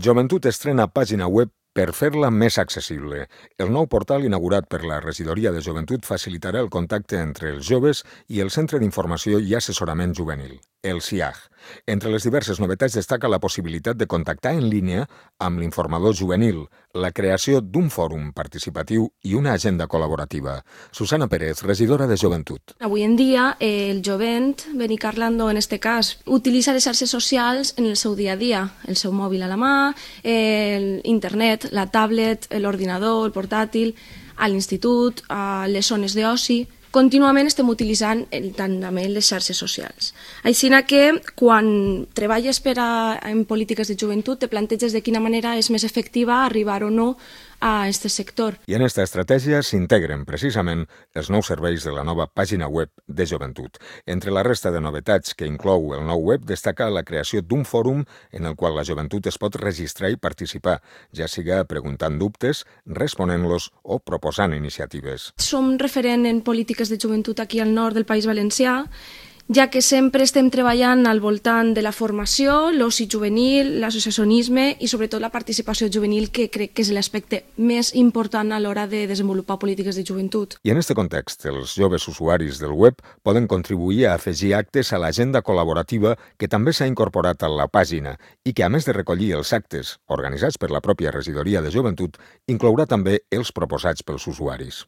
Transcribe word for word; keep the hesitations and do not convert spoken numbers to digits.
Joventut estrena pàgina web per fer-la més accessible. El nou portal inaugurat per la Regidoria de Joventut facilitarà el contacte entre els joves i el Centre d'Informació i Assessorament Juvenil, el C I A J. Entre les diverses novetats destaca la possibilitat de contactar en línia amb l'informador juvenil, la creació d'un fòrum participatiu i una agenda col·laborativa. Susana Pérez, regidora de Joventut. Avui en dia, eh, el jovent, Beni Carlando en este cas, utilitza les xarxes socials en el seu dia a dia, el seu mòbil a la mà, eh, internet, la tablet, l'ordinador, el portàtil, a l'institut, a les zones d'oci. Contínuament estem utilitzant el, també les xarxes socials. Així que quan treballes per a, en polítiques de joventut te planteges de quina manera és més efectiva arribar o no a aquest sector. I en aquesta estratègia s'integren precisament els nous serveis de la nova pàgina web de Joventut. Entre la resta de novetats que inclou el nou web destaca la creació d'un fòrum en el qual la joventut es pot registrar i participar, ja siga preguntant dubtes, responent-los o proposant iniciatives. Som referent en polítiques de joventut aquí al nord del País Valencià, ja que sempre estem treballant al voltant de la formació, l'oci juvenil, l'associacionisme i sobretot la participació juvenil, que crec que és l'aspecte més important a l'hora de desenvolupar polítiques de joventut. I en aquest context, els joves usuaris del web poden contribuir a afegir actes a l'agenda col·laborativa que també s'ha incorporat a la pàgina i que, a més de recollir els actes organitzats per la pròpia Regidoria de Joventut, inclourà també els proposats pels usuaris.